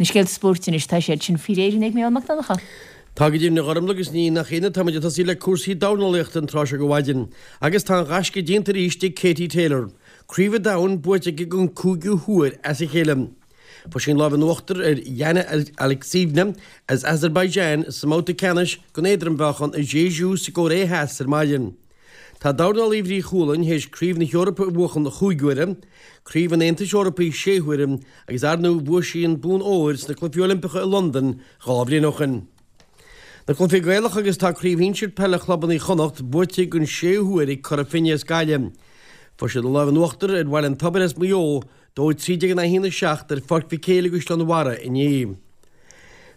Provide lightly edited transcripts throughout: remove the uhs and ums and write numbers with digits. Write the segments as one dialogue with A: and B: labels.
A: Na scéalta spóirt anois, tá siad sin faoi réir ag Mícheál Mac Donncha.
B: Tá go deimhin a Ghormlaith agus ní nach ionadh táimid ag tosaí le cúrsaí dornálaíochta an tráth seo de mhaidin agus tá an gaisce déanta arís ag Katie Taylor. Craobh an Domhain buaite aici den cúigiú huair as a chéile. Fuair sí an lámh in uachtar ar Yana Alekseeva as Azerbaijan sa mbabhta ceannais den éadrom-mheáchan i Jeju sa gCóiré Theas ar maidin. Tá dornálaí Bhrí Chualainn théis Craobh na hEorpa a bhuachan chúig huaire, Craobh an Aontais Eorpaigh sé huaire agus ar ndóigh bhuaigh sí an bonn óir sna Cluichí Oilimpeacha i Londain 2 bhliain ó shin. Na cluichí Gaelacha agus tá Craobh Shinsir Peile Chlubanna Chonnacht buaite den séú huair ag Cora Finne as Gaillimh. Fuair siad an lámh in uachtar ar Bhaile an Tobair as Maigh Eo, 2 13 in aghaidh 1 7 ar Pháirc Mhic Éil i gCaisleán Bharraigh inné.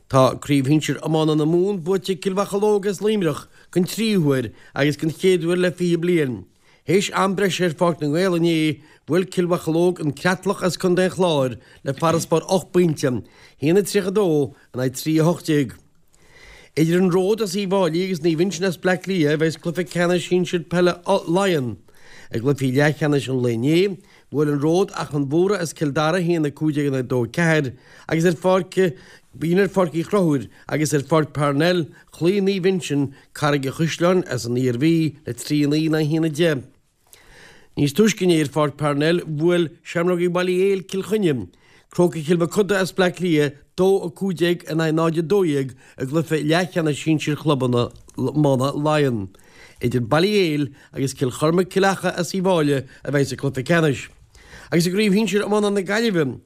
B: Tá Craobh Shinsir Iomána na Mumhan buaite ag Cill Mhocheallóg as Luimneach den tríú huair agus den chéad uair le 20 bliain. Théis am breise ar Pháirc na nGael inné, bhuail Cill Mhocheallóg an Creatlach as Contae an Chláir le farasbarr 8 bpointe, 1-32 in aghaidh 3-18. Idir an Ród as Uíbh Fhailí agus Naomh Uinseann as Bleá Cliath a bheas cluiche ceannais sinsir peile Laighean. I gcluichí leathcheannais an lae inné, bhuail an Ród Achadh Mhórdha as Cill Dara 1-15 in aghaidh 2-4 agus ar pháirc b'in ar Pháirc Uí Chonchúir agus ar Pháirc Parnell chloígh Naomh Uinseann Carraig an Chaisleáin as an Iarmhí le 3-9 in aghaidh 1-10. Níos túisce inné ar Pháirc Parnell, bhuail Seamrógaí Bhaile Héil Cill Chainnigh, Crócaigh Chill Mochuda as Bleá Cliath, 2-15 in aghaidh 0-12 i gcluiche leathcheannais sinsir chlubanna iomána Laighean. Idir Baile Héil agus Cill Chormaic Cill Acha as Uíbh Fhailí a bheidh sa chluiche ceannais. Agus i gcraobh shinsir iomána na Gaillimhe,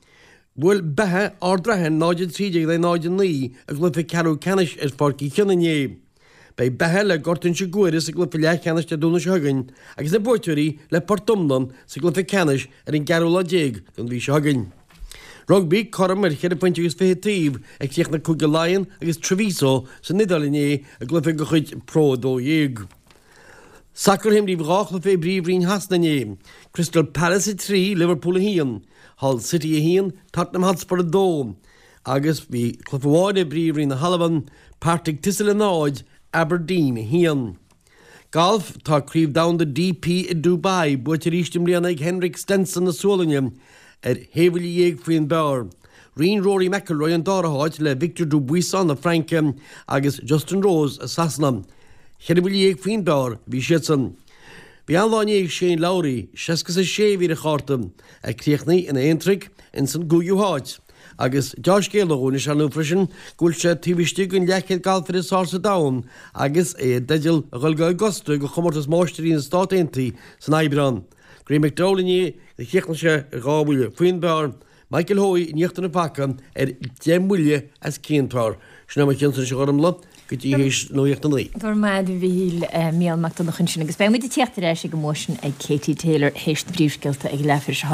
B: bhuail Beatha Ard Raithin 0-13 in aghaidh 0-9 i gcluiche ceathrú ceannais ar Pháirc Uí Chionnaith inné. Beidh Beatha le Gort Inse Guaire sa gcluiche leathcheannais Dé Domhnaigh seo chugainn agus na buaiteoirí le Port Omna sa gcluiche ceannais ar an gceathrú lá déag den mhí seo chugainn. Rugbaí, cothrom ar cheithre phointe agus fiche taobh a chríochnaigh Cúige Laighean agus Treviso san Iodáil inné i gcluiche de chuid Pro 12. Sacar, Imríodh dhá chluiche i bPríomhroinn Shasana inné, Crystal Palace 3, Liverpool 1, Hull City 1, Tottenham Hotspur 2. Agus bhí cluiche amháin i bPríomhroinn na hAlban, Partick Thistle 0, Aberdeen 1. Galf, Tá Craobh Domhanda DP i Dubai buaite arís i mbliana ag Henrik Stenson na Sualainne ar shé bhuille dhéag faoin bpar. Roinn Rory McIlroy an dara háit le Victor Dubuisson na Fraince agus Justin Rose as Sasana. Cheithre bhuille dhéag faoin bpar a bhí siadsan. Bhí an-lá inné ag Shane Lowry, 66 a bhí ar a chárta, a chríochnaigh ina aontraic ins an gcúigiú háit. Agus deá-scéala dhúinn is ar ndóigh freisin go bhfuil sé taobh istigh den leathchéad galfaire is fearr sa domhan agus é i dteideal a dhul go Augusta do chomórtas Máistirí na Stát Aontaithe san Aibreán. Graeme McDowell inné do chríochnaigh sé ar dhá bhuille faoin bpar, Michael Hoey in íochtar an phaca ar dheich mbuille as cionn par. Sin é mo chionn-sa anois a Ghormlaith go dtí théis nuacht a naoi.
A: Go raibh maith agat a Mhíchíl, Mícheál Mac Donncha ansin agus beidh muid ag tíocht ar ais ag an mbua sin ag Katie Taylor théis na bpríomhscéalta ag leathuair tar éis a.